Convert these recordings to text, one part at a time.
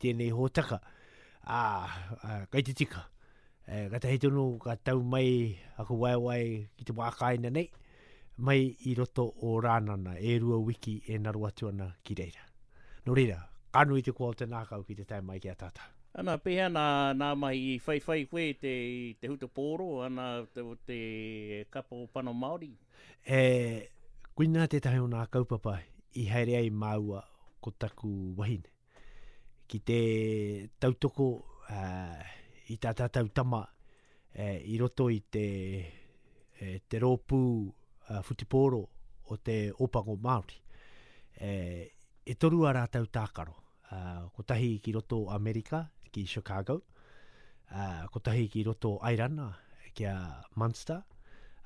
tēnei hōtaka. Ā, kei te tika. E, katahi tonu ka tau mai aku waewae ki te wā kāina nei, mai i roto o Rānana, e rua wiki e naro atu ana ki reira. Nō reira, ka nui te koa o te nākau ki te tae mai ki a tātou. Ana, pēhea nā, nā mahi i whaiwhai koe i te, i te hutupōro, ana, te, te kapa o Pano Māori? E, koinā tētahi o nā kaupapa i haere ai māua ko taku wahine. Ki te tautoko uh, i tā tātou tama uh, i roto i te, e, te rōpū uh, whutupōro o te Ōpango Māori. E, e toru a rātou tākaro. Uh, kotahi ki roto Amerika, ki Chicago, uh, kotahi ki roto Airana, ki a Munster,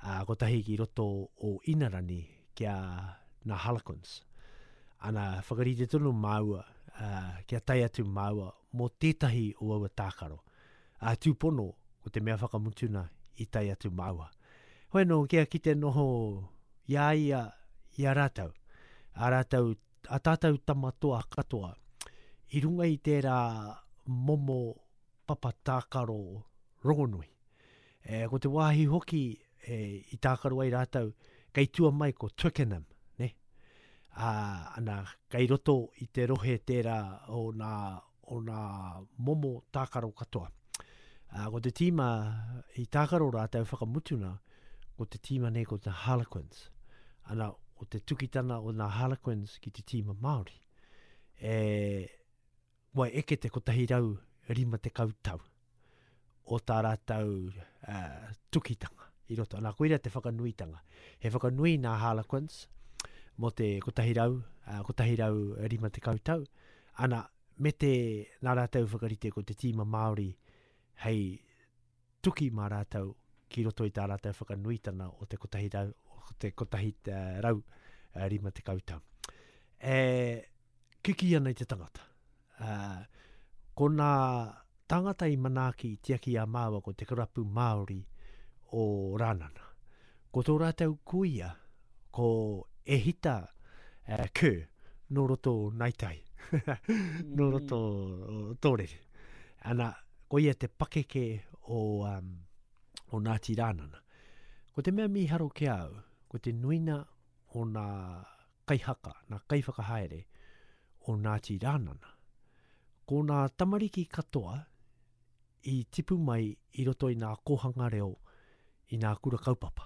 uh, kotahi ki roto o Inarani, ki a nā Harlequins. Ana, whakarite tonu māua, uh, kia tae atu māua mō tētahi o aua tākaro. Ā, tūpono, ko te mea whakamutuna i tae atu māua. Hoi anō, kia kite noho i a ia, i a rātou, a rātou a tātou tama toa katoa i runga i tērā momo papa tākaro rongonui. E, ko te wāhi hoki e, i tākaro ai rātou, kei tua mai ko Twickenham, ne? Ā, ana, kei roto i te rohe tērā o nā, o nā momo tākaro katoa. Ā, ko te tīma i tākaro rātou whakamutuna, ko te tīma nei ko te Harlequins. Ana, ko te tukitana o nā Harlequins ki te tīma Māori. E, kua eke te 150 tau o tā rātou uh, tukitanga i roto. Nā, koira te whakanuitanga. He whakanui nā Harlequins mō te 100, uh, 150 tau. Ana, me te nā rātou whakarite ko te tīma Māori hei tuki mā rātou ki roto i tā rātou whakanuitana o te 100, o te 150 tau. E kiki ana i te tangata. Uh, ko nā tāngata i manaaki i tiaki a māua ko te karapu Māori o Rānana. Ko tō rātou kuia, ko Ehita uh, Kerr, nō roto Naitai, nō roto Tōrere. Ana, ko ia te pakeke o, um, o Ngāti Rānana. Ko te mea mīharo ki a au, ko te nuina o nā kaihaka, nā kaiwhakahaere o Ngāti Rānana. Ko nā tamariki katoa i tipu mai i roto i nā kōhanga reo i nā kura kaupapa,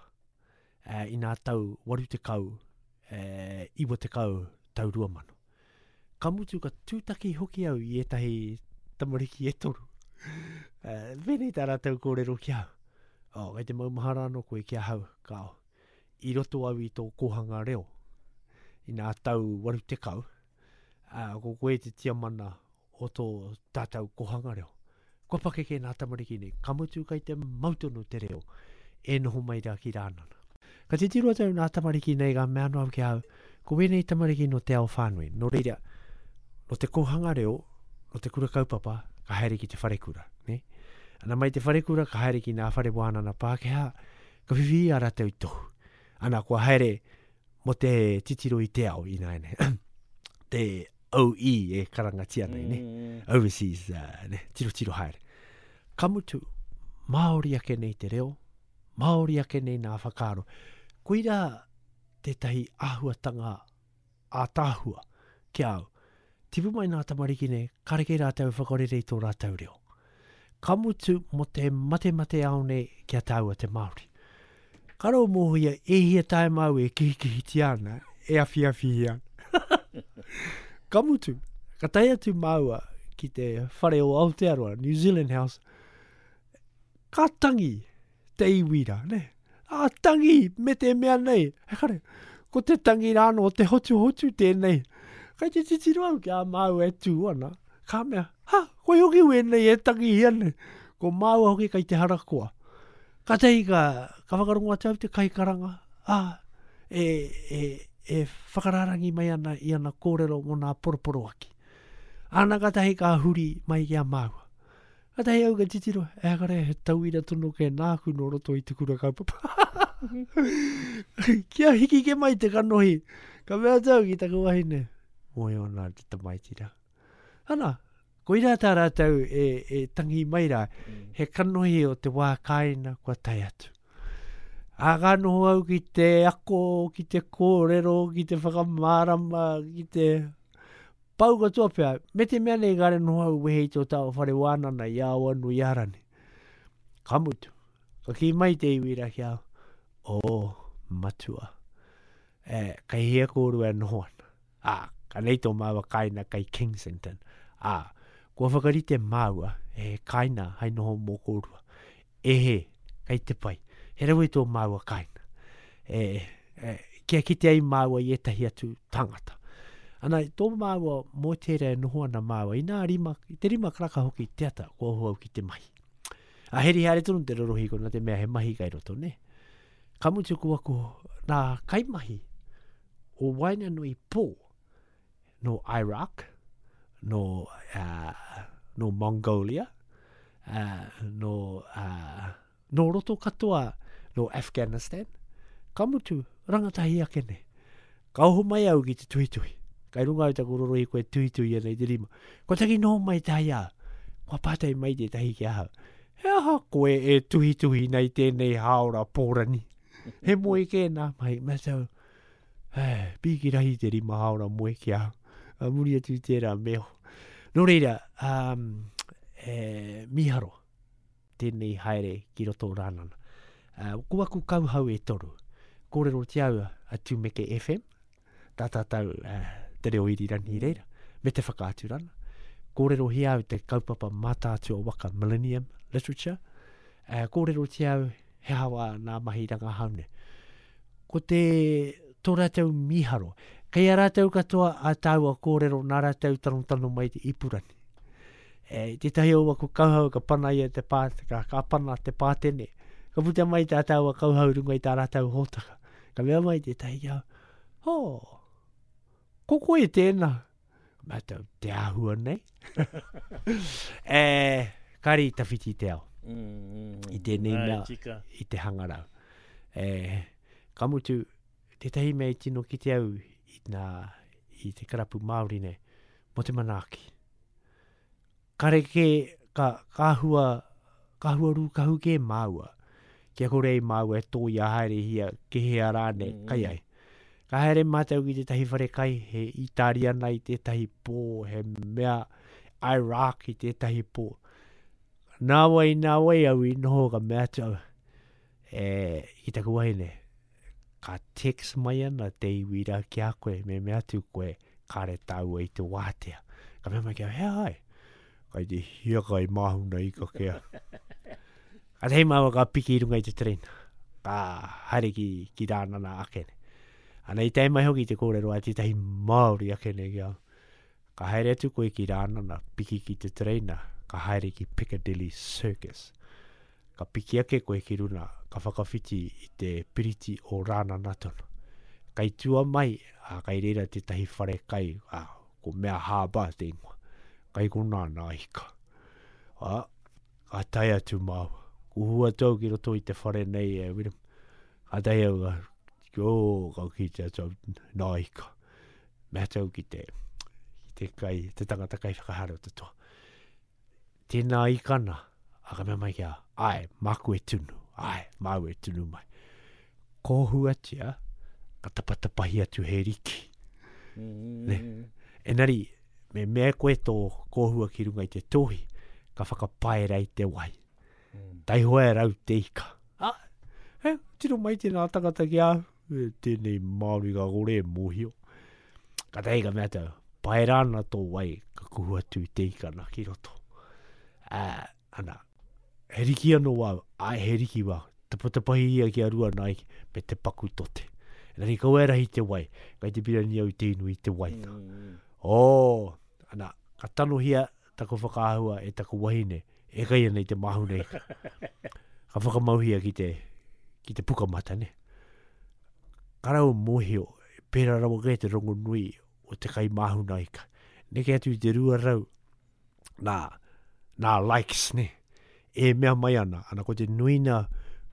i nā tau 80, 90, tau 2000. Ka mutu ka tūtaki hoki au i ētahi tamariki e toru. Uh, pēnei tā rātou kōrero ki au. Oh, kei te maumahara anō koe ki ahau, kāo. I roto au i tō kōhanga reo, i nā tau 80, uh, ko koe te tiamana o tō tātou kōhanga reo. Kua pakeke nā tamariki nei, ka mutu kei te mau tonu te reo e noho mai rā ki Rānana. Ka titiro atu au nā tamariki nei ka mea anō au ki ahau, ko wēnei tamariki nō te ao whānui, nō reira, nō te kōhanga reo, nō te kura kaupapa, ka haere ki te wharekura, nē? Ana mai te wharekura, ka haere ki nā whare wānana Pākehā, ka whiwhi i a rātou tohu. Ana, kua haere mō te titiro i te ao ināianei. te OE e karangatia nei, ne? Mm. Overseas, uh, ne? Tiro tiro haere. Ka mutu, Māori ake nei te reo, Māori ake nei nā whakaaro. Koira tētahi āhuatanga ātaahua ki a au. Tipu mai nā tamariki nei, kareke rātou whakarere i tō rātou reo. Ka mutu mō te matemate ao nei ki a tāua te Māori. Ka rau mōhia e hia taema au e kihikihitia ana, e awhiawhihia ana. ka mutu, ka tae atu māua ki te whare o Aotearoa, New Zealand House, ka tangi te iwi rā, ne? A tangi me te mea nei. He kare, ko te tangi rā no te hotuhotu tēnei. Kai te titiro au ki a māua e tū ana. Ka mea, ha, koi hoki wēnei e tangihia nei. Ko māua hoki kai te harakoa. Kātahi ka, ka whakarongo atu au te kaikaranga, ā, e, e, e whakarārangi mai ana i ana kōrero mō nā poroporoaki. Āna kātahi ka huri mai ki a māua. Kātahi au ka titiro, e kare he tauira tonu kē nāku nō roto i te kura kaupapa. Kia hiki ke mai te kanohi, ka mea atu au ki taku wahine, moe ana te tamaiti rā. Ana, Koirā tā rātou e, e tangi mai rā, he kanohi o te wā kāina kua tae atu. Ā, ka noho au ki te ako, ki te kōrero, ki te whakamārama, ki te pau katoa pea. Me te mea nei kāre noho au wehe i tō tāua whare wānana i Awanuiārani. Ka mutu, ka kī mai te iwi rā ki a au, Oh, matua, e, kei hea kōrua e noho ana? Ā, ka nei tō māua kāina kei Kensington. Ā, kua whakarite māua he kāina hai noho mō kōrua. E hē, kei te pai. He rawe tō māua kāina. E, e, kia kite ai māua i ētahi atu tāngata. Ana, tō māua mōteere e noho ana māua, inā rima, i te rima karaka hoki te ata, kua oho au ki te mahi. A heri haere tonu te rorohiko nā te mea he mahi kai roto, nē. Ka mutu ko aku nā kaimahi o waenganui pō nō Iraq, nō, uh, nō Mongolia, uh, nō, uh, nō roto katoa nō Afghanistan, ka mutu rangatahi ake nei. Ka oho mai au ki te tuhituhi. Kai runga au taku rorohiko e tuhituhi ana i te rima. Kua taki noho mai te hai au. Kua pātai mai tētahi ki ahau. He aha koe e tuhituhi nei tēnei hāora pōrani? He moe kē nā mahi. Me tau, eh, pīki rahi te rima hāora moe ki ahau. A muri atu i tērā me oho. Nō reira, um, e, mīharo tēnei haere ki roto o Rānana. Uh, ko aku kauhau e toru. Kōrerotia au a Tumeke FM, tā tātou uh, te reo irirangi i reira, me te whakaaturana. Kōrerohia au te kaupapa Mātaatua Waka Millennium Literature. Uh, kōrerotia au he aha wā nā mahi rangahau nei. Ko te tō rātou mīharo. Kei a rātou katoa ā tāua kōrero nā rātou tanotano mai te ipurangi. E, tētahi o aku kauhau ka pana ia te pā, ka, ka pana te pātene. Ka puta mai tā tāua kauhau runga i tā rātou hōtaka. Ka mea mai tētahi ki au, ho, ko koe tēnā. Mātou, te āhua nei. e, kāre i tawhiti te ao. Mm, mm, mm. I tēnei Ai, mea, tika. i te hangarau. E, ka mutu, tētahi mea i tino kite au i, nā, i te karapu Māori nei, mō te manaaki. Kare kē, ka, ka hua, ka hua rūkahu kē māua, kia kore ai māua e tōia haerehia ki hea rānei mm. kai ai. Ka haere mātou ki tētahi whare kai, he Itariana i tētahi pō, he mea Iraq i tētahi pō. Nāwai, nāwai au i noho ka mea atu au, e, ki taku wahine, ka text mai ana te iwi rā ki a koe, me mea atu koe, kāre tāua i te wātea. Ka mea mai ki a, he ai, kai te hiakai māhuna ika ke au. Ka tahi māua ka piki i runga i te tereina, ka haere ki, ki Rānana ake nei. Ana i tae mai hoki te kōrero a tētahi Māori ake nei ki au. Ka haere atu koe ki Rānana, piki ki te tereina, ka haere ki Piccadilly Circus. Ka piki ake koe ki runa, ka whakawhiti i te piriti o Rānana tonu. Kai tua mai, ā, kai reira tētahi whare kai, ā, ko Mea Harbour te ingoa. Kai konā nā ika. Ā, ka tae atu māua. Kuhu atu au ki roto i te whare nei e Wiremu. Kātahi au ka, oh, ka kite atu au nā ika. Mea atu au ki te, ki te kai, te tangata kai whakahaere o te toa. Tēnā ikana, a ka mea mai ki a, ai, māku e tunu, ai, māu e tunu mai. Kōhuatia, ka tapatapahi atu he riki. Mm. Ne? Enari, me mea koe tō kōhua ki runga i te tōhi, ka whakapaera i te wai. Mm. Taihoa e rau te ika. Ah, e, tiro mai tēnā tangata ki a au, e, tēnei Māori ka kore e mōhio. Katahi ka mea atu, paera ana tō wai, ka kuhu atu i te ika na ki roto. Ā, ana, he riki anō wāu, āe he riki wāu, tapatapahi ia ki a rua nā iki, me te paku tote. Engari kaua e rahi te wai, kai te pirani au i te inu i te wai na. Mm. Oh, ana, ka tanohia taku whakaahua e taku wahine, e kai ana i te māhuna ika. Ka whakamauhia ki te, ki te pukamata, ne? Ka rau mōhio, pērā rawa kē te rongonui o te kai māhuna ika. Neke atu i te 200 nā, nā likes, ne? E mea mai ana, ana ko te nuina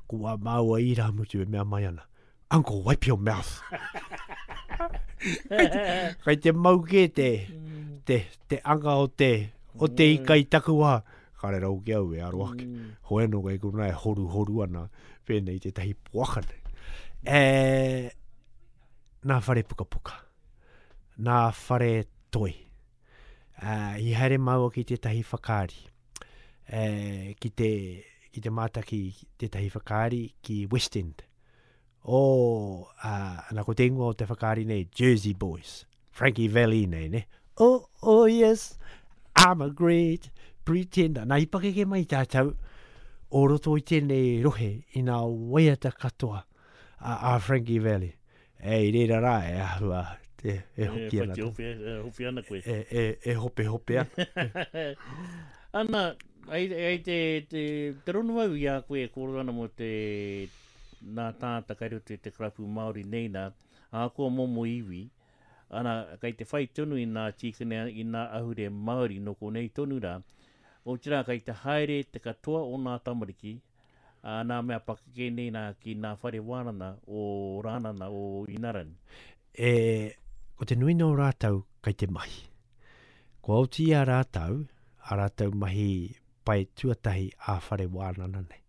ko wā māua irāmutu e mea mai ana. Uncle, wipe your mouth. kai, te, kai te mau kē te, te, te anga o te, O te ika i taku wā, kare rau ki au e aro ake. Mm. Hoi anō kei konā e horuhoru ana pēnei i tētahi poaka nei. E, nā whare pukapuka, nā whare toi. Uh, i haere māua ki tētahi whakaari, e, ki te, ki te mātaki tētahi whakaari ki West End. Oh, uh, ana ko te ingoa o te whakaari nei, Jersey Boys. Frankie Valli nei, ne? Oh, oh yes, I'm a great pretender. Nā, i pakeke mai tātou o roto i tēnei rohe i nā waiata katoa a, a Frankie Valli. E, i reira rā e ahua, e, e hoki ana. E, hopi, e hopi ana koe. E, e, e hope hope ana. ana, ai, ai te, te, te rono au i a koe e kōrero ana mō te nā tāngata kai roto i te karapu Māori nei nā, ahakoa momo iwi, ana, kai te whai tonu i nā tīkene, i nā ahure Māori nō konei tonu rā, otirā kai te haere te katoa o nā tamariki, ā, nā mea pakeke nei nā ki nā whare wānana o Rānana, o Inarani. E, ko te nuinga o rātou kai te mahi. Kua oti i a rātou, ā rātou mahi pae tuatahi ā-whare wānana nei.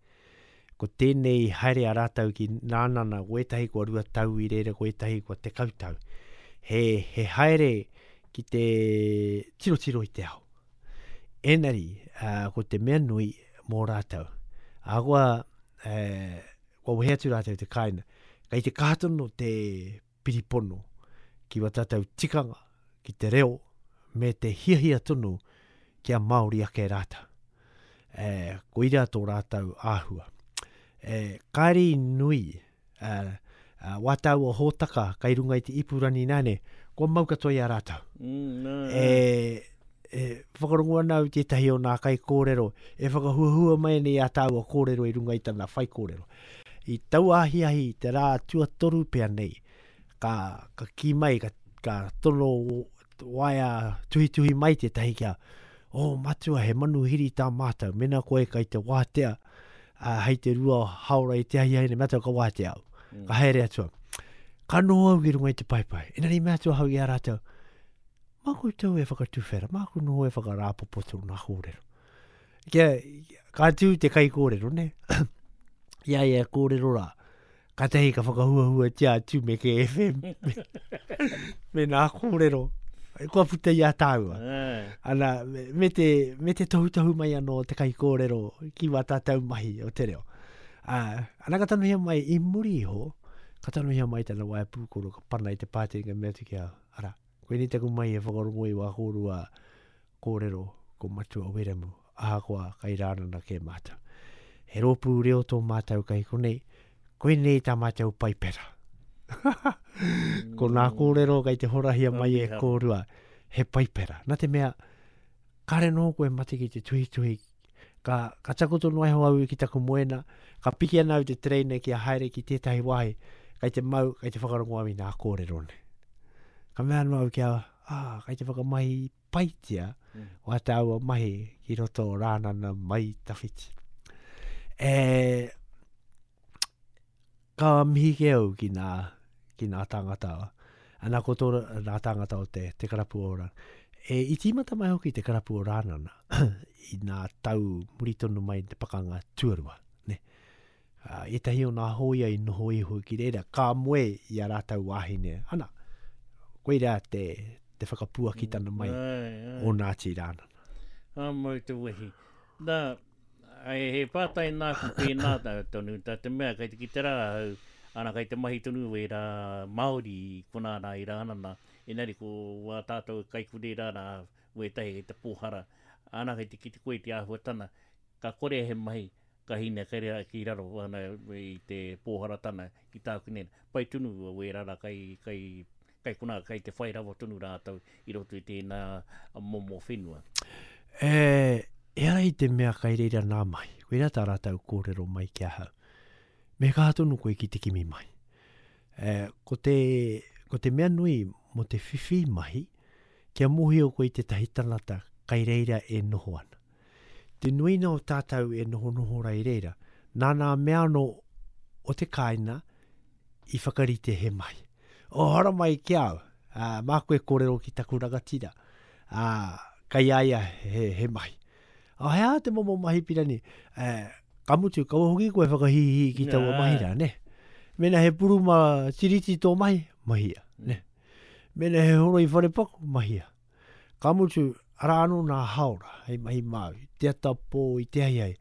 Ko tēnei haere a rātou ki Rānana, ko ētahi kua rua tau i reira, ko ētahi kua tekau tau. He, he haere ki te tirotiro i te ao. Engari, uh, ko te mea nui mō rātou, ahakoa uh, kua wehe atu rātou te kāinga, kei te kaha tonu te piripono ki wā tātou tikanga, ki te reo, me te hiahia tonu kia Māori ake rātou. E, koira tō rātou āhua. E, kāre i nui, e, e, wā tāua hōtaka kai runga i te ipurangi nāne, kua mau katoa i a rātou. Mm, no, E, e whakarongo ana au tētahi o nā kaikōrero e whakahuahua mai ana i ā tāua kōrero i runga i tana whaikōrero. I taua ahiahi i te rā tuatoru pea nei, ka, ka kī mai, ka, ka tono waea tuhituhi mai tētahi kia, oh, matua, he manuhiri tā mātou, mena koe kai te wātea, uh, hei te rua haora i te ahiahi nei, matua ka wātea au. Mm. Ka haere atu au. Ka noho au ki runga i te paepae. Engari mea atu ahau i a rātou, mā koutou e whakatuwhera, māku noho e whakarāpopoto nā kōrero. Kia, ka tū te kaikōrero, ne? I a ia e kōrero rā, kātahi ka whakahuahuatia a Tumeke FM me, me nā kōrero. Kua puta i a tāua. Ana, me, me, te, me te tohutohu mai anō te kaikōrero ki wā tātou mahi o te reo. Uh, ana ka tanohia mai i muri iho, ka tanohia mai tana waea pūkoro, ka pana i te pātene ka mea atu ki a, ara, koinei taku mahi e whakarongo i wā kōrua kōrero ko Matua Wiremu, ahakoa kai Rānana kē mātou. He rōpū reo tō mātou kai konei, koinei tā mātou paipera. ko nā kōrero kai te horahia mai e kōrua, he paipera. Nā te mea, kāre noho koe mate ki te tuhituhi, ka, ka takoto noa iho au ki taku moena, ka piki ana au te tereina kia haere ki tētahi wāhi, kai te mau, kai te whakarongo au i nā kōrero nei. Ka mea anō au kia, ah, kai te whakamahi paitia mm. wā tāua mahi ki roto o Rānana mai tawhiti. E, ka mihi ke au ki nā, ki nā tāngata, ana ko tō nā tāngata o te, te karapu o Rānana. E, i tīmata mai hoki te karapu o Rānana i nā tau muri tonu mai te pakanga tuarua. Ne? Uh, ētahi o nā hōia i noho iho ki reira, ka moe i a rātou wāhine. Ana, koirā te, te whakapuakitana mai ai, ai. o Ngāti Rānana. Ka mau te wehi. Nā, ai, he pātai nāku pēnā tonu, tā te mea kei te kite rā ahau, ana kei te mahi tonu wērā Māori i konā rā i Rānana, engari ko wā tātou kaikurē rā rā wētahi kei te pōhara, ana kei te kite koe i te āhuatana, ka kore he mahi, Ka hine kei reira ki raro ana i te pōharatana ki tāku nei. Pai tonu wērā rā kai, kai, kai konā, kai te whai rawa tonu rātou i roto i tēnā momo whenua. E, ehara i te mea kai reira nā mahi. Koirā tā rātou kōrero mai ki ahau. Me kaha tonu koe ki te kimi mahi. E, ko te, ko te mea nui mō te whiwhi mahi, kia mōhio koe i tētahi tangata kai reira e noho ana. Te nuinga o tātou e nohonoho ra i reira, nā nā mea anō o te kāina i whakarite he mahi. Oh, haramai ki au, ā, māku e kōrero ki taku rangatira. Ā, Kai a ia he, he mahi. A he aha te momo mahi pirani? E, ka mutu, kaua hoki koe whakahīhī ki taua mahi rā, ne? Mena he puruma tiriti tō mahi, mahia, ne? Mena he horoi wharepaku, mahia. Ka mutu, arā anō nā haora hei mahi māu, i te ata pō, i te ahiahi.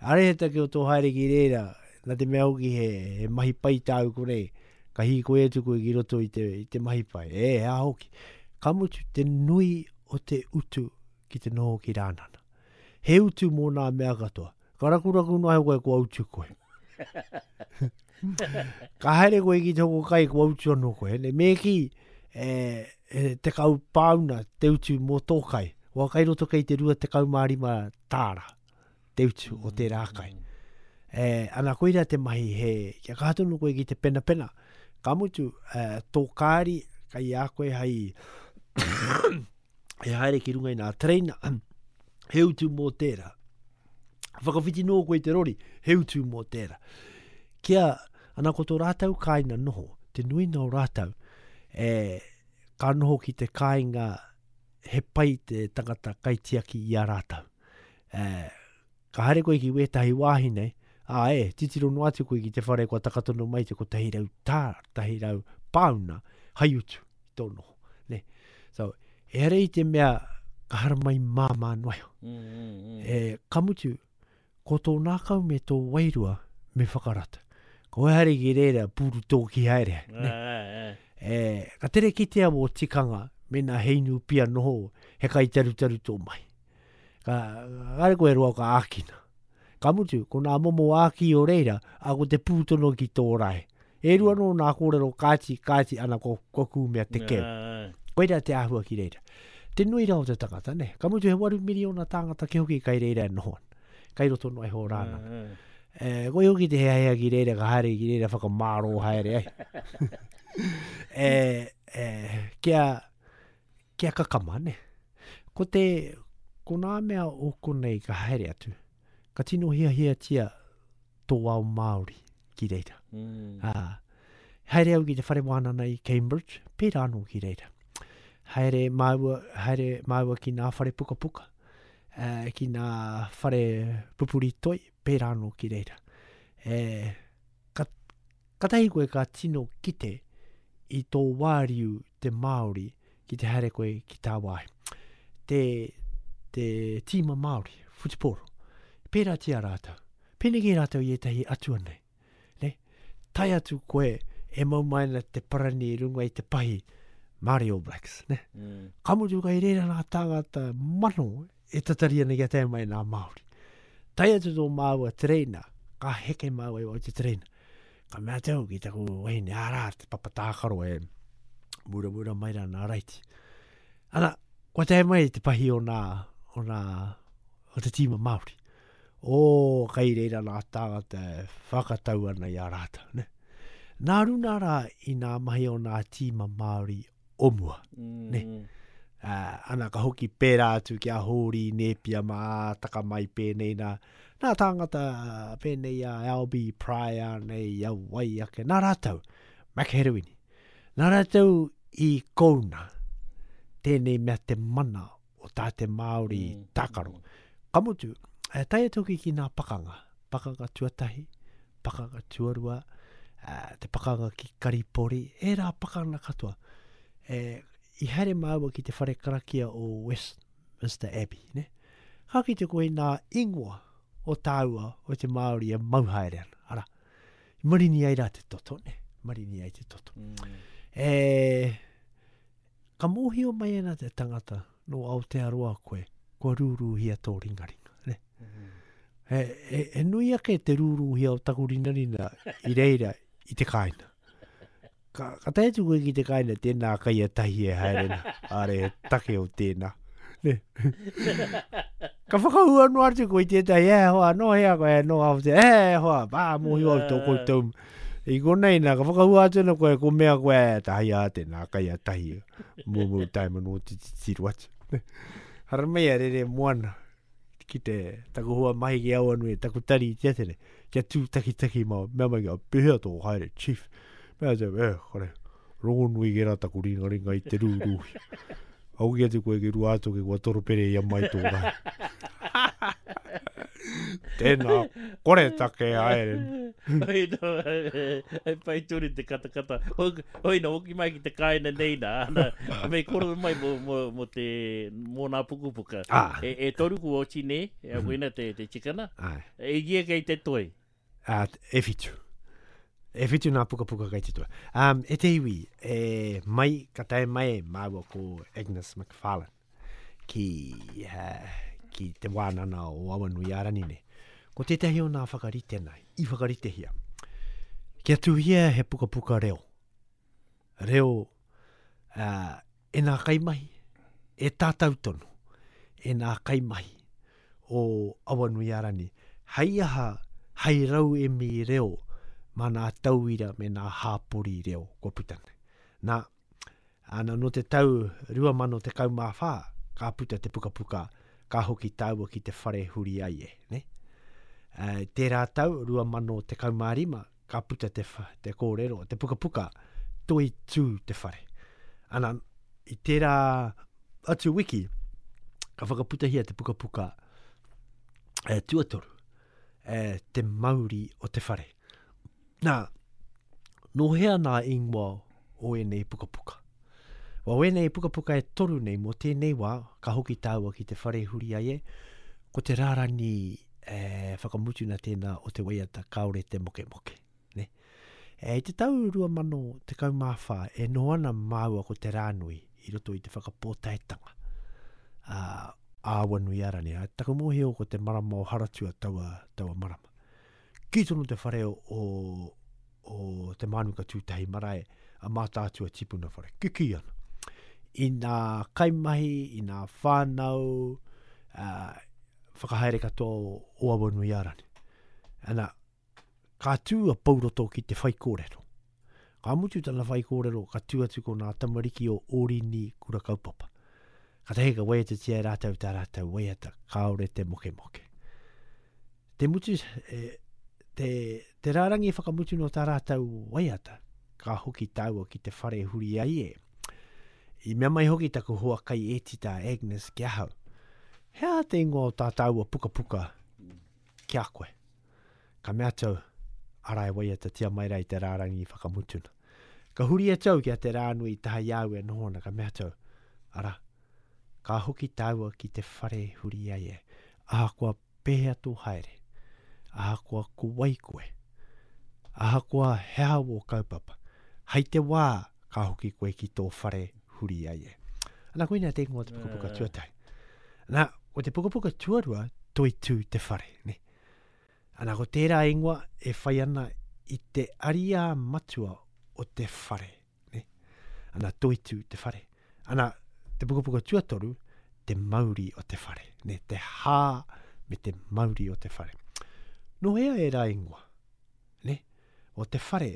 Are he take o tō haere ki reira, nā te mea hoki he, he mahi pai tāu konei, ka hīkoi atu koe ki roto i te, i te mahi pai. E, he aha hoki. Ka mutu, te nui o te utu ki te noho ki Rānana. He utu mō nā mea katoa. Ka rakuraku noa iho koe, kua utu koe. ka haere koe ki te hoko kai, kua utu anō koe. Ne, me kī, e, e, 10 pāuna te utu mō tō kai. Wā kai roto kei te 25 tāra te utu o tērā kai. E, ana koira te mahi he, kia kaha tonu koe ki te penapena. Ka mutu, e, tō kāri, kai a koe hei e haere ki runga i nā tereina, he utu mō tērā. Whakawhiti noa koe i te rori, he utu mō tērā. Kia, ana ko tō rātou kāinga noho, te nuinga o rātou, e, ka noho ki te kāinga he pai te tangata kaitiaki i a rātou. E, ka haere koe ki wētahi wāhi nei, ā, e, titiro noa atu koe ki te whare kua taka tonu mai te 100 tā, 100 pāuna hai utu i tō noho. Ne? So, ehara i te mea ka haramai māmā noa iho. Mm, mm, mm. E, ka mutu, ko tō nākau me tō wairua me whakarata. Ko haere ki reira, pūru tōki haere. Ne? E, ka tere kitea wō tikanga, mēnā he inu pia noho, he kai tarutaru tō mahi. Ka, kāre koe roa ka ākina. Ka mutu, ko nā momo āki o reira, a ko te pūtono ki tō rae. E rua nō nā kōrero kāti, kāti ana ko, ko kūmea te keu. Koira te āhua ki reira. Te nui rā o te tangata, ne? Ka mutu he waru miriona tāngata ke hoki kai reira e noho ana. Kai roto noa iho rāna. E, koi hoki te heahea ki reira, ka haere ki reira whakamārō haere ai. e, e, kia, kia kakama, ne? Ko te, ko nā mea o konei ka haere atu, ka tino hiahiatia tō ao Māori ki reira. Mm. Ā, haere au ki te whare wānana i Cambridge, pērā anō ki reira. Haere māua, haere māua ki nā whare pukapuka, uh, ki nā whare pupuri toi, pērā anō ki reira. E, ka, katahi koe ka tino kite i tō wāriu te Māori ki te haere koe ki tāwāhi. Te, te tīma Māori, whutupōro, pērātia rātou. Pēnei rātou i ētahi atua nei. Ne? Tae atu koe e mau mai ana te parani i runga i te pahi Māori All Blacks. Ne? Mm. Ka mutu kai reira nā tāngata mano e tatari ana kia tae mai nā Māori. Tae atu tō māua tereina, ka heke māua i wau te tereina. Ka mea atu au ki taku wahine, arā, te papa tākaro e muramura mai rā nā raiti. Ana, kua tae mai te pahi o nā, o nā, o te tīma Māori. Ō, kai reira nā tāngata e whakatau ana i a rātou, ne? Nā runa rā i nā mahi o nā tīma Māori o mua, mm. ne? Uh, ana ka hoki pērā atu ki a Hōri Nēpia mā taka mai pēnei nā, nā tāngata pēnei a Albie Pryor nei, a wai ake, nā rātou, Mac Herewini. Nā rātou i kouna tēnei mea te mana o tā te Māori mm. tākaro. Ka mutu, e tae atu hoki ki nā pakanga, pakanga tuatahi, pakanga tuarua, te pakanga ki Karipori, ērā pakanga katoa. E, i haere māua ki te whare karakia o Westminster Abbey, ne? Ka kite koe i nā ingoa o tāua o te Māori e mau haere ana. Ara, i marini ai rā te toto, ne? Marini ai te toto. Mm. E, Ka mōhio mai ana te tangata nō Aotearoa koe, kua rūrūhia tō ringaringa, ne? He, he, he nui ake te rūrūhia o taku rinarina i reira i te kāinga. Ka, ka tae atu koe ki te kāinga, tēnā kai a tahi e haere na, are he take o tēnā. Ne? ka whakahua noa atu koe i tētahi, e hoa, nō hea koe, nō Aotearoa, e hoa, pā, mōhio au tō koutou I konei nā, ka whakahua atu ana koe, ko mea koe, e, tahi a tēnā, kai a tahi, mūmū tae mano te titiro atu. Haramai a rere moana, ki te taku hoa mahi ki Awanui, taku tari i te atere, kia tū takitaki mā, mea mai kia, pehea tō haere, chief. Mea atu, e, kore, rongonui ki rā taku ringaringa i te rūrūhi. Hoki atu koe ki Ruātoki kua toropere ia mai tō rahi. Tēnā, kore take haere. Oi no, e pai tonu te katakata. Oi no, hoki mai ki te kāinga nei nā, ana, me kōrero mai mō, mō, mō te, mō nā pukapuka. Ah. E, e toru kua oti nē, e mm -hmm. te, te tikana. Ai. E ia kei te toi. Uh, e whitu. E whitu nā pukapuka kei te toi. Um, e te iwi, e mai, ka tae mai māua ko Agnes McFarlane ki, uh, ki te wānana o Awanuiārani nei. Ko tētahi o nā whakaritena, i whakaritehia, kia tuhia he pukapuka reo. Reo uh, e nā kaimahi, e tātau tonu, e nā kaimahi o Awanuiārani, hei aha, hei rauemi reo mā nā tauira me nā hāpori reo kua puta nei. Nā, ana nō te tau 2014 ka puta te pukapuka ka hoki tāua ki te whare huri ai e, ne? Uh, tērā tau 2015 ka puta te, te kōrero, te pukapuka, toi tū te whare. Ana, i tērā atu wiki, ka whakaputahia te pukapuka e, tuatoru, e, te mauri o te whare. Nā, nō hea nā ingoa o ēnei pukapuka? Wa wēnei pukapuka e toru nei mō tēnei wā, ka hoki tāua ki te whare huri ai e, ko te rārangi e, whakamutuna tēnā o te waiata kāore te mokemoke. Ne? E, I te tau 2014 e noho ana māua ko Te Rānui i roto i te whakapōtaetanga a Awanuiārani. A, taku mōhio ko te marama o Haratua taua, taua marama. Kī tonu te whare o, o Te Mānuka Tūtahi Marae, a Mātaatua Tipuna Whare. Kikī ana. I nā kaimahi, i nā whānau, uh, whakahaere katoa o, o Awanuiārani. Ana, ka tū a Pouroto ki te whaikōrero. Ka mutu tana whaikōrero, ka tū atu ko nā tamariki o Orini Kura Kaupapa. Katahi ka waiatatia e rātou tā rātou waiata, kāore te mokemoke. Te mutu, e, te, te rārangi whakamutu no tā rātou waiata, ka hoki tāua ki te whare huri ai e. I mea mai hoki taku hoa kai ētita Agnes ki ahau. He aha te ingoa o tā tāua pukapuka ki a koe? Ka mea atu au, arā e waiatatia mai rā i te rārangi whakamutuna. Ka huri atu au ki a Te Rānui i taha i a au e noho ana, ka mea atu au, arā, ka hoki tāua ki te whare huri ai e, ahakoa pēhea tō haere, ahakoa ko wai koe, ahakoa he aha wō kaupapa, hei te wā ka hoki koe ki tō whare huri ai e. Ana, koinā te ingoa o te pukapuka tuatahi. Nā, ko te pukapuka tuarua, Toitū te whare, ne? Ana, ko tērā ingoa e whai ana i te ariā matua o te whare. Ne? Ana, toitū te whare. Ana, te pukapuka tuatoru, te mauri o te whare. Ne? Te hā me te mauri o te whare. Nō hea ērā ingoa? Ne? O te whare,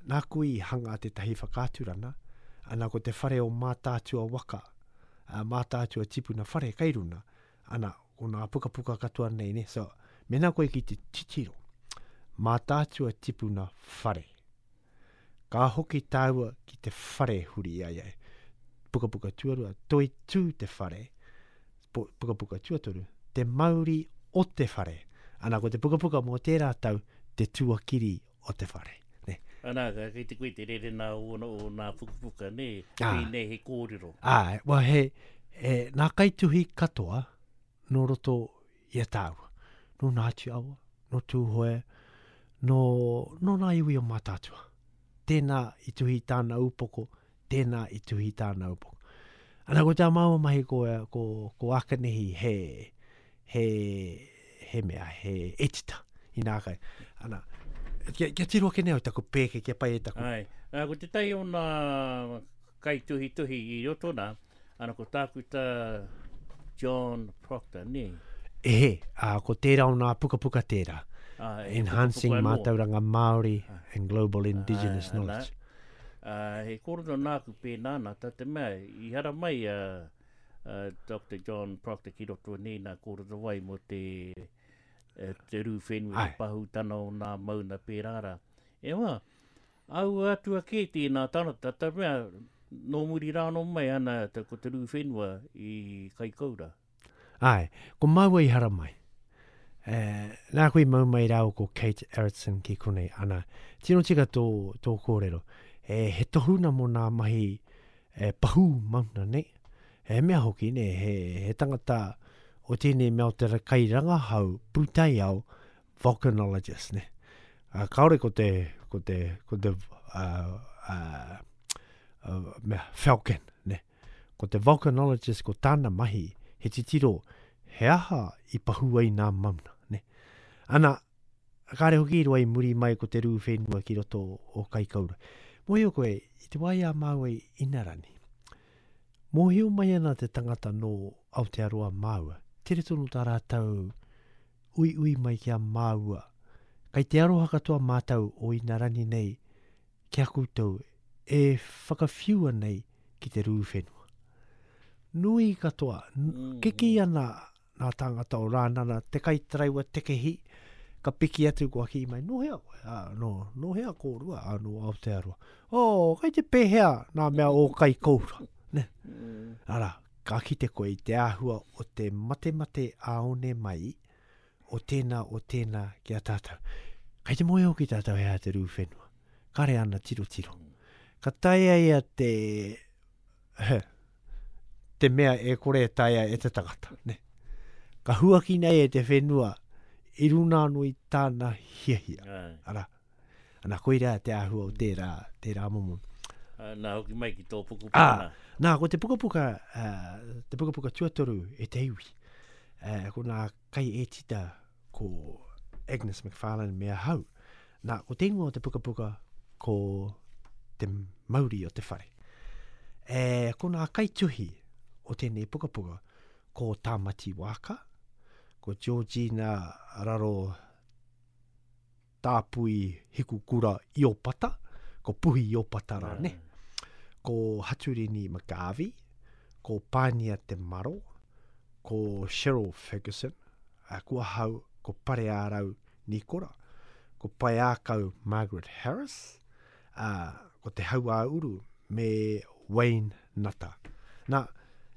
nāku i hanga tētahi whakaaturana, ana ko te whare o Mātaatua waka, a Mātaatua tipuna whare kei runa, Ana, ko nā pukapuka katoa nei, ne? So, mena koe ki te titiro, Mātaatua tipuna whare. Ka hoki tāua ki te whare huri ai ai. Pukapuka tuarua, toi tū te whare. Pukapuka tuatoru, te mauri o te whare. Ana, ko te pukapuka mō tērā tau, te tuakiri o te whare. Ne? Ana, kei te koe te rere nā o, o nā pukapuka, ne? Ah. Pēnei he kōrero. Ā, well, he, he, nā kaituhi katoa nō roto i a tāua. Nō Ngāti Awa, nō Tūhoe, nō, nō nā iwi o Mātaatua. Tēnā i tuhi tāna upoko, tēnā i tuhi tāna upoko. Ana, ko tā māua mahi ko, ko, ko Akanehi he, he, he mea, he etita inā kai. Ana, kia, kia tiro ake nei au taku pēke, kia pai e taku. Ai, nā, ko tētahi o nā kaituhituhi i roto nā, ana ko Tākuta John Proctor, nē? Ehe, ā, ko tērā o nā pukapuka tērā. Ā, he Enhancing pukapuka anō. Mātauranga Māori and Global Indigenous Ā, Knowledge. Nā, ā, he kōrero nāku pēnā nā, tā te mea, i haramai a, a Doctor John Proctor ki roto nei nā kōrero wai mō te, te rū whenua, te pahūtana o nā mauna pērā rā. E hoa, aua atua kē tēnā tangata, tā mea, Nō muri rā anō mai ana ko te rū whenua i Kaikoura. Āe, ko māua i haramai. E, nāku i mau mai rāua ko Kate Aronson ki konei, ana, tino tika tō, tō kōrero. E, he tohuna mō nā mahi e, pahū mauna nei. He mea hoki, ne, he, he tangata o tēnei mea o te kairangahau pūtaiao volcanologist, ne. Uh, kāore ko te, ko te, ko te uh, uh, uh, mea, falcon, ne. Ko te volcanologist ko tāna mahi he titiro he aha i pahū ai nā mauna, ne. Ana, kāre hoki i roa i muri mai ko te rū whenua ki roto o Kaikoura. Mōhio koe, i te wā i a māua i Inarani, mōhio mai ana te tangata nō Aotearoa māua, tere tonu tā rātou uiui mai ki a māua. Kei te aroha katoa mātou o Inarani nei ki a koutou e whakawhiua nei ki te rū whenua. Nui katoa, kikī ana nā tāngata o Rānana, te kaitaraiwa tekehi, ka piki atu kua kī mai, nō hea koe? Ā, nō, nō hea kōrua? Ā, nō Aotearoa. Oh, kei te pēhea nā mea o Kaikoura? Ne? Arā, Ka kite koe i te āhua o te matemate ā-one mai o tēnā o tēnā ki a tātou. Kei te moe hoki tātou he aha te rū whenua. Kare ana tirotiro. Ka taea ia te, te mea e kore e taea e te tangata. Ne? Ka huakina e te whenua i runa anō i tāna hiahia. Arā, Ana, koirā te āhua o tērā, tērā momo. Nā, hoki mai ki tō pukapuka ah, nā. Nā, ko te pukapuka, uh, te pukapuka tuatoru e te iwi, uh, ko nā kai ētita ko Agnes McFarlane me ahau. Nā, ko te ingoa o te pukapuka ko te mauri o te whare. E, ko nā kaituhi o tēnei pukapuka ko Tāmati Wāka, ko Georgina Raro Tāpui Hikukura Iopata, ko Puhi Iopata rāne, ko Haturini McGarvey, ko Pānia Te Maro, ko Cheryl Fergusson, ko ahau, ko Pareārau Nikora, ko Paeākau Margaret Harris, ā, ko Te Hauāuru me Wayne Nata. Nā,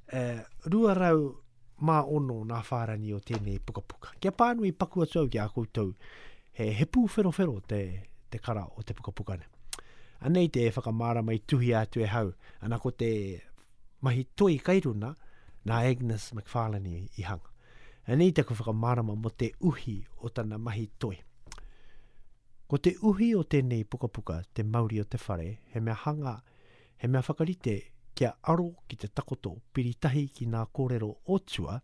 e, 206 nā whārani o tēnei pukapuka. Kia pānui paku atu au ki a koutou, he, he pūwherowhero te, te kara o te pukapuka nei. Anei te whakamārama i tuhia atu e hau, ana ko te mahi toi kai runa nā Agnes McFarlane i hanga. Anei taku whakamārama mō te uhi o tana mahi toi. Ko te uhi o tēnei pukapuka, Te Mauri o te Whare, he mea hanga, he mea whakarite kia aro ki te takoto piritahi ki ngā kōrero o tua,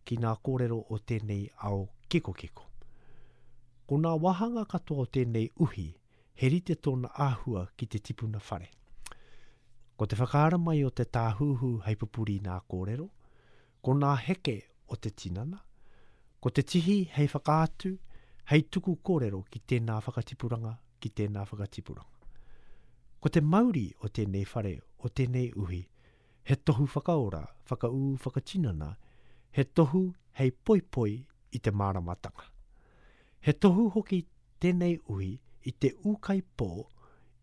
ki ngā kōrero o tēnei ao kikokiko. Ko ngā wāhanga katoa o tēnei uhi, he rite tōna āhua ki te tipuna whare. Ko te whakaara mai o te tāhuhu hei pupuri i ngā kōrero, ko ngā heke o te tinana, ko te tihi hei whakaatu, hei tuku kōrero ki tēnā whakatipuranga, ki tēnā whakatipuranga. Ko te mauri o tēnei whare, o tēnei uhi, he tohu whakaora, whakaū, whakatinana, he tohu hei poipoi i te māramatanga. He tohu hoki tēnei uhi i te ūkaipō,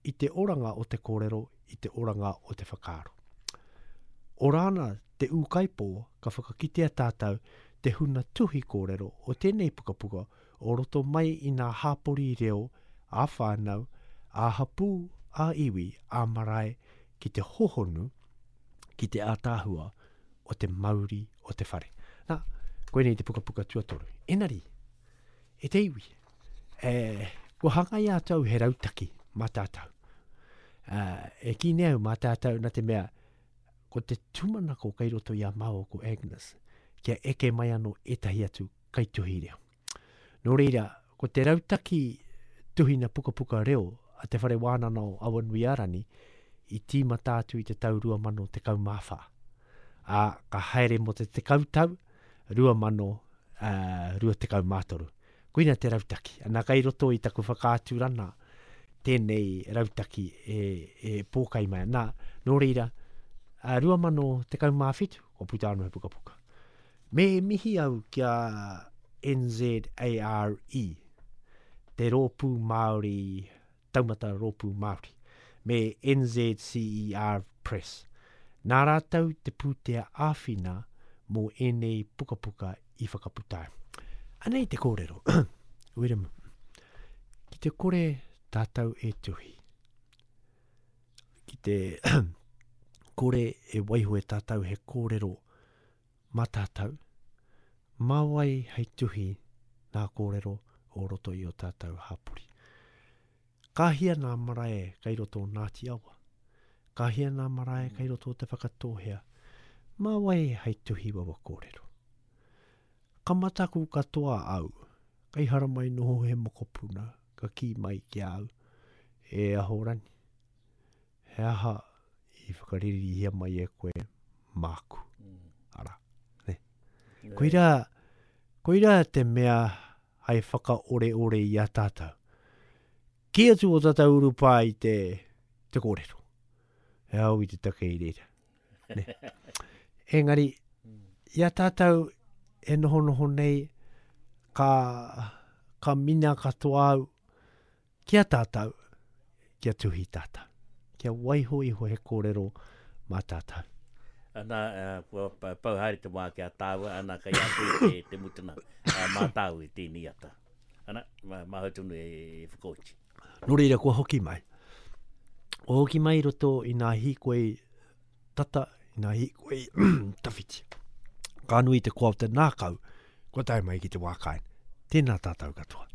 i te oranga o te kōrero, i te oranga o te whakaaro. Ora ana te ūkaipō ka whakakitea tātou te huna tuhi kōrero o tēnei pukapuka o roto mai i nā hāpori reo ā-whānau, ā-hapū, ā-iwi, ā-marae ki te hohonu, ki te ātaahua o te mauri o te whare. Nā, koinei te pukapuka tuatoru. Enari, e te iwi, e, kua hangaia atu au he rautaki mā tātou. Uh, e kī nei au mā tātou nā te mea, ko te tūmanako kei roto i a māua ko Agnes, kia eke mai anō ētahi atu kaituhi reo. Nō reira, ko te rautaki tuhina pukapuka reo a Te Whare Wānana o Awanuiārani i tīmata atu i te tau 2014. Ā, ka haere mō te tekau tau, 2023. Koina te rautaki. Ana kai roto i taku whakaaturana tēnei rautaki e, e pōkai mai. Nā, nō reira, 2017, kua puta anō he pukapuka. Me mihi au ki a NZARE, te Rōpū Māori, Taumata Rōpū Māori, me NZCERT. Press. Nā rātou te pūtea āwhina mō ēnei pukapuka i whakaputa ai. Anei te kōrero, Wiremu, ki te kore tātou e tuhi, ki te kore e waiho e tātou he kōrero mā tātou, mā wai hei tuhi nā kōrero o roto i o tātou hāpori. Ka hia nā marae kei roto o Ngāti Awa? Ka hia nā marae kei roto o Te Whakatōhea? Mā wai hei tuhi wawa kōrero? Ka mataku katoa au, kei haramai noho he mokopuna ka kī mai ki a au, E Ahorangi, he aha i whakaririhia mai e koe māku? Arā, nē. Koirā, koirā te mea hai whakaoreore i a tātou. Kī atu o tātou urupā i te, te kōrero. He ao i te take i reira. Ne? Engari, i a tātou e nohonoho nei, ka, ka mina katoa au ki a tātou, kia tuhi tātou. Kia waiho iho he kōrero mā tātou. Ana, kua pau haere te wā ki a tāua, ana, kei a koe te, te mutuna mā tāu i tēnei ata. Ana, māhau tonu e whakaoti. Nō reira, kua hoki mai. Kua hoki mai i roto i nā hīkoi tata, i nā hīkoi tawhiti. Ka nui te koa o te nākau, kua tae mai ki te wā kāinga. Tēnā tātou katoa.